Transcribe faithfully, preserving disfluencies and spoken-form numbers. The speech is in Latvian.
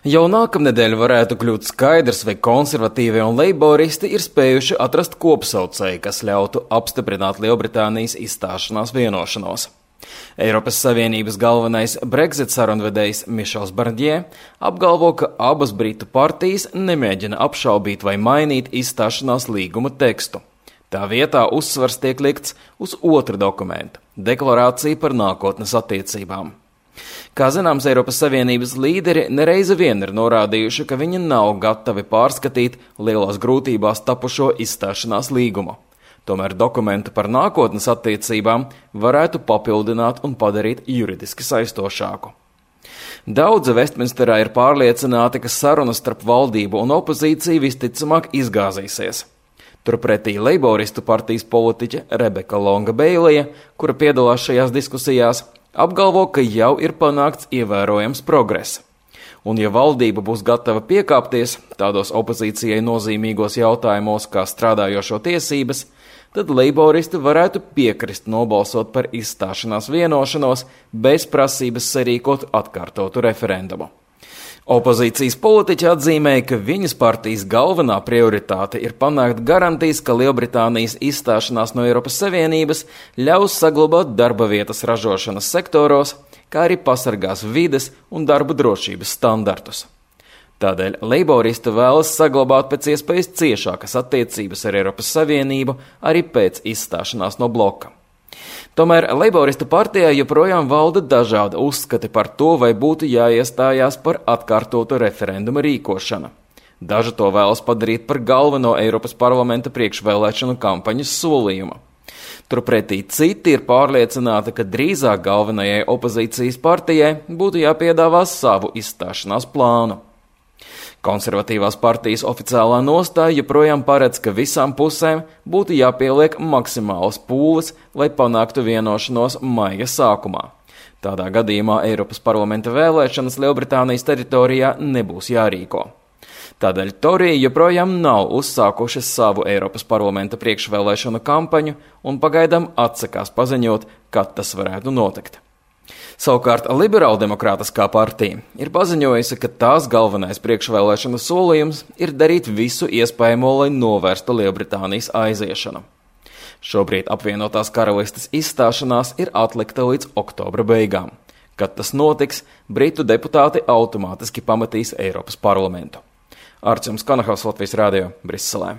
Jau nākamnedēļ varētu kļūt skaidrs, vai konservatīvie un leiboristi ir spējuši atrast kopsaucēju, kas ļautu apstiprināt Lielbritānijas izstāšanās vienošanos. Eiropas Savienības galvenais Brexit sarunvedējs Mišels Barņē apgalvo, ka abas Britu partijas nemēģina apšaubīt vai mainīt izstāšanās līguma tekstu. Tā vietā uzsvars tiek likts uz otru dokumentu – deklarāciju par nākotnes attiecībām. Kā zināms, Eiropas Savienības līderi nereizi vien ir norādījuši, ka viņi nav gatavi pārskatīt lielās grūtībās tapušo izstāšanās līgumu. Tomēr dokumentu par nākotnes attiecībām varētu papildināt un padarīt juridiski saistošāku. Daudzi Vestminsterā ir pārliecināti, ka sarunas starp valdību un opozīciju visticamāk izgāzīsies. Turpretī Leiboristu partijas politiķe Rebeka Longa Beilija, kura piedalās šajās diskusijās, apgalvo, ka jau ir panākts ievērojams progress. Un ja valdība būs gatava piekāpties tādos opozīcijai nozīmīgos jautājumos kā strādājošo tiesības, tad leiboristi varētu piekrist nobalsot par izstāšanās vienošanos bez prasības sarīkot atkārtotu referendumu. Opozīcijas politiķi atzīmēja, ka viņas partijas galvenā prioritāte ir panākt garantijas, ka Lielbritānijas izstāšanās no Eiropas Savienības ļaus saglabāt darba vietas ražošanas sektoros, kā arī pasargās vides un darba drošības standartus. Tādēļ leiboristi vēlas saglabāt pēc iespējas ciešākas attiecības ar Eiropas Savienību arī pēc izstāšanās no bloka. Tomēr Leiboristu partijā joprojām valda dažādi uzskati par to, vai būtu jāiestājās par atkārtotu referenduma rīkošanu. Daži to vēlas padarīt par galveno Eiropas parlamenta priekšvēlēšanu kampaņas solījumu. Turpretī citi ir pārliecināti, ka drīzāk galvenajai opozīcijas partijai būtu jāpiedāvā savu izstāšanās plānu. Konservatīvās partijas oficiālā nostāja joprojām paredz, ka visām pusēm būtu jāpieliek maksimālas pūles, lai panāktu vienošanos maija sākumā. Tādā gadījumā Eiropas parlamenta vēlēšanas Lielbritānijas teritorijā nebūs jārīko. Tādēļ Toriji joprojām nav uzsākuši savu Eiropas parlamenta priekšvēlēšanu kampaņu un pagaidām atsakās paziņot, kad tas varētu notikt. Savukārt Liberāldemokrātiskā partija ir paziņojusi, ka tās galvenais priekšvēlēšanu solījums ir darīt visu iespējamo, lai novērstu Lielbritānijas aiziešanu. Šobrīd apvienotās karalistes izstāšanās ir atlikta līdz oktobra beigām. Kad tas notiks, britu deputāti automātiski pametīs Eiropas parlamentu. Arčuns Kanahaus, Latvijas radio, Briselē.